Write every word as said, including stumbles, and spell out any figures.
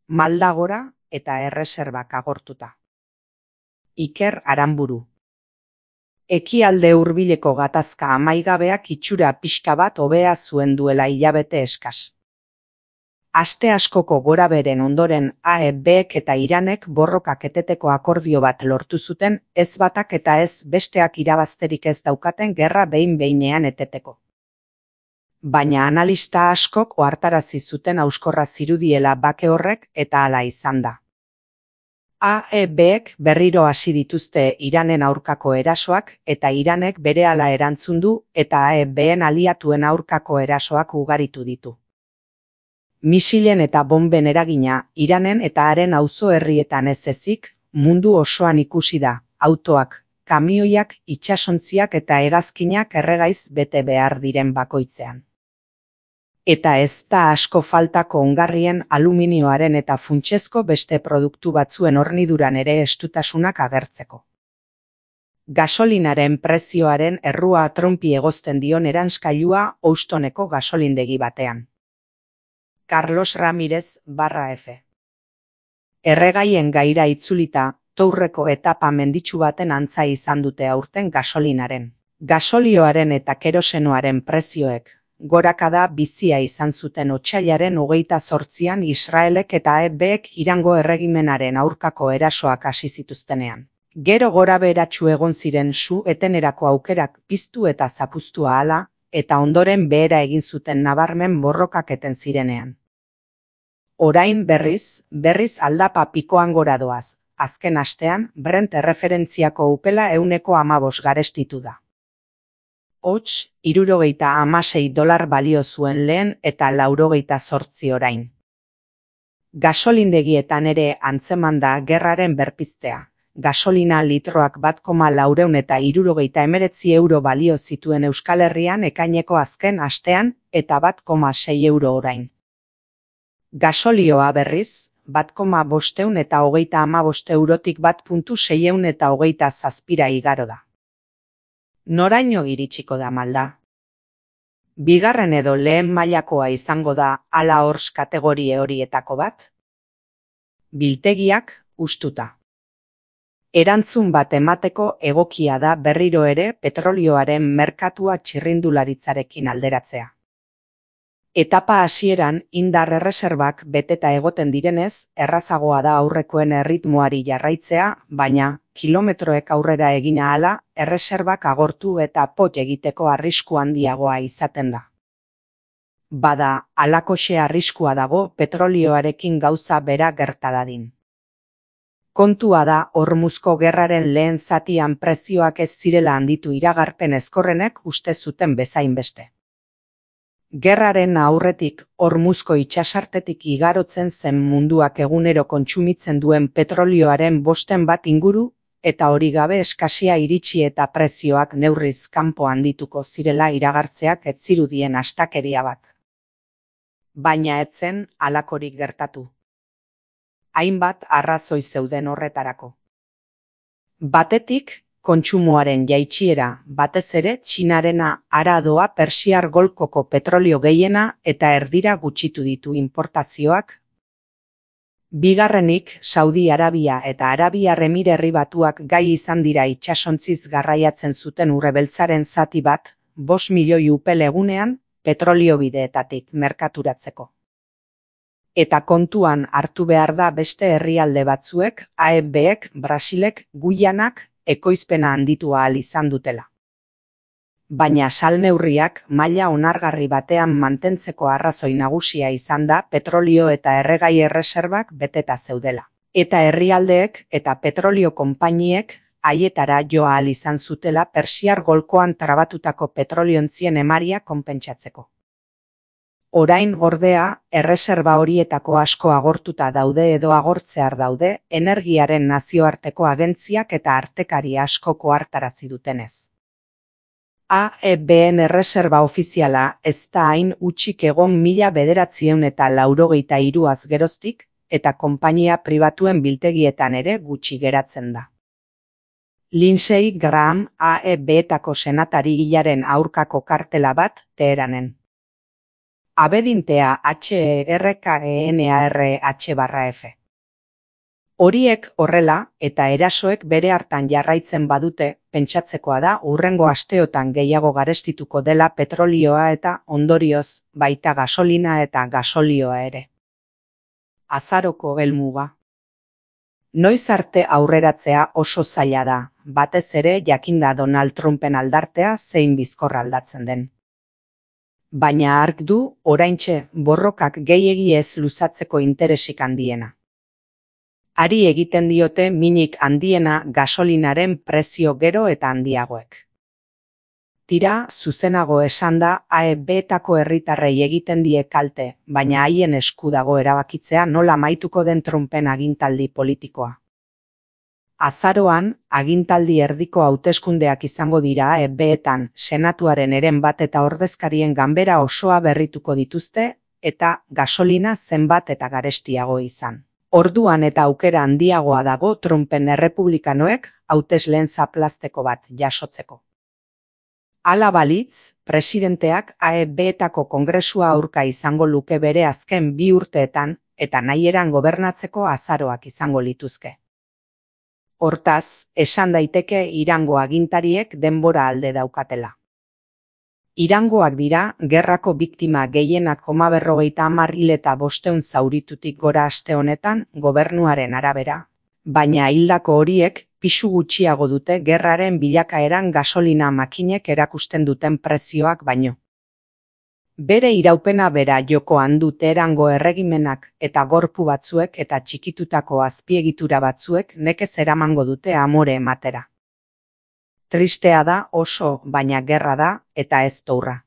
Malda gora eta erreserbak agortuta. Iker Aranburu. Ekialde hurbileko gatazka amaigabeak itxura pixka bat hobea zuen duela hilabete eskas. Aste askoko goraberen ondoren A E Bek eta Iranek borrokak eteteko akordio bat lortu zuten, ez batak eta ez besteak irabazterik ez daukaten gerra behin-behinean eteteko. Baina analista askok ohartarazi zuten hauskorra zirudiela bake horrek eta hala izan da. A E Bek berriro hasi dituzte Iranen aurkako erasoak eta Iranek berehala erantzun du eta A E Ben aliatuen aurkako erasoak ugaritu ditu. Misilen eta bonben eragina Iranen eta haren auzo herrietan ez ezik, mundu osoan ikusi da, autoak, kamioiak, itsasontziak eta hegazkinak erregaiz bete behar diren bakoitzean. Eta ez da asko faltako ongarrien aluminioaren eta funtsezko beste produktu batzuen horniduran ere estutasunak agertzeko. Gasolinaren prezioaren errua Trumpi egozten dion eranskailua Houstoneko gasolindegi batean. Carlos Ramirez barra F. Erregaien gaira itzulita, Tourreko etapa menditsu baten antza izan dute aurten gasolinaren. Gasolioaren eta kerosenoaren prezioek gorakada bizia izan zuten otsailaren hogeita zortzian Israelek eta A E Bek Irango erregimenaren aurkako erasoak hasi zituztenean. Gero gorabeheratsu egon ziren su etenerako aukerak piztu eta zapuztu ahala, eta ondoren behera egin zuten nabarmen borrokak eten zirenean. Orain berriz, berriz aldapa pikoan gora doaz, azken astean Brent erreferentziako upela ehuneko hamabost garestitu da. Hots, hirurogeita hamasei dolar balio zuen lehen eta laurogeita zortzi orain. Gasolindegietan ere antzeman da gerraren berpiztea. Gasolina litroak bat koma laurehun eta hirurogeita hemeretzi euro balio zituen Euskal Herrian ekaineko azken astean eta bat koma sei euro orain. Gasolioa berriz, bat koma bostehun eta hogeita hamabost eurotik bat puntu seiehun eta hogeita zazpira igaro da. Noraino iritsiko da malda? Bigarren edo lehen mailakoa izango da ala hors kategorie horietako bat? Biltegiak hustuta. Erantzun bat emateko egokia da berriro ere petrolioaren merkatua txirrindularitzarekin alderatzea. Etapa hasieran indar erreserbak beteta egoten direnez, errazagoa da aurrekoen erritmoari jarraitzea, baina kilometroek aurrera egin ahala, erreserbak agortu eta pot egiteko arrisku handiagoa izaten da. Bada, halakoxe arriskua dago petrolioarekin gauza bera gerta dadin. Kontua da Hormuzko gerraren lehen zatian prezioak ez zirela handitu iragarpen ezkorrenek uste zuten bezain beste. Gerraren aurretik Hormuzko itsasartetik igarotzen zen munduak egunero kontsumitzen duen petrolioaren bosten bat inguru, eta hori gabe eskasia iritsi eta prezioak neurriz kanpo handituko zirela iragartzeak ez zirudien astakeria bat. Baina ez zen halakorik gertatu. Hainbat arrazoi zeuden horretarako. Batetik, kontsumoaren jaitsiera, batez ere Txinarena hara doa Persiar golkoko petrolio gehiena eta erdira gutxitu ditu inportazioak. Bigarrenik, Saudi Arabia eta Arabiar Emirerri Batuak gai izan dira itsasontziz garraiatzen zuten urrebeltzaren zati bat, bost milioi upel egunean, petrolio bideetatik merkaturatzeko. Eta kontuan hartu behar da beste herrialde batzuek, A E Bek, Brasilek, Guyanak, ekoizpena handitu ahal izan dutela. Baina salneurriak maila onargarri batean mantentzeko arrazoi nagusia izan da petrolio eta erregai erreserbak beteta zeudela. Eta herrialdeek eta petrolio konpainiek haietara jo ahal izan zutela Persiar golkoan trabatutako petroliontzien emaria konpentsatzeko. Orain ordea, erreserba horietako asko agortuta daude edo agortzear daude, energiaren nazioarteko agentziak eta artekari askoko hartarazi dutenez. A E Ben erreserba ofiziala ez da hain utxik egon mila bederatziehun eta laurogeita hiruaz geroztik, eta konpainia pribatuen biltegietan ere gutxi geratzen da. Lindsey Graham A E Betako senatari hilaren aurkako kartela bat Teheranen. abedintea H R K E N A R H barra F. Horiek horrela eta erasoek bere hartan jarraitzen badute, pentsatzekoa da hurrengo asteotan gehiago garestituko dela petrolioa eta ondorioz baita gasolina eta gasolioa ere. Azaroko helmuga. Noiz arte aurreratzea oso zaila da, batez ere jakinda Donald Trumpen aldartea zein bizkor aldatzen den. Baina ark du oraintxe borrokak gehiegi ez luzatzeko interesik handiena. Ari egiten diote minik handiena gasolinaren prezio gero eta handiagoek. Tira, zuzenago esan da A E B-etako herritarrei egiten die kalte, baina haien esku dago erabakitzea nola amaituko den Trumpen agintaldi politikoa. Azaroan, agintaldi erdiko hauteskundeak izango dira A E B-etan, senatuaren eren bat eta ordezkarien ganbera osoa berrituko dituzte, eta gasolina zenbat eta garestiago izan. Orduan eta aukera handiagoa dago Trumpen errepublikanoek hautesleen zaplazteko bat jasotzeko. Hala balitz, presidenteak A E B-etako kongresua aurka izango luke bere azken bi urteetan eta nahieran gobernatzeko azaroak izango lituzke. Hortaz, esan daiteke Irango agintariek denbora alde daukatela. Irangoak dira, gerrako biktima gehienak koma berrogeita hamar hil eta bosteun zauritutik gora aste honetan gobernuaren arabera, baina hildako horiek pisu gutxiago dute gerraren bilakaeran gasolina makinek erakusten duten prezioak baino. Bere iraupena bera jokoan du Teherango erregimenak eta gorpu batzuek eta txikitutako azpiegitura batzuek nekez eramango dute amore ematera. Tristea da oso, baina gerra da eta ez tourra.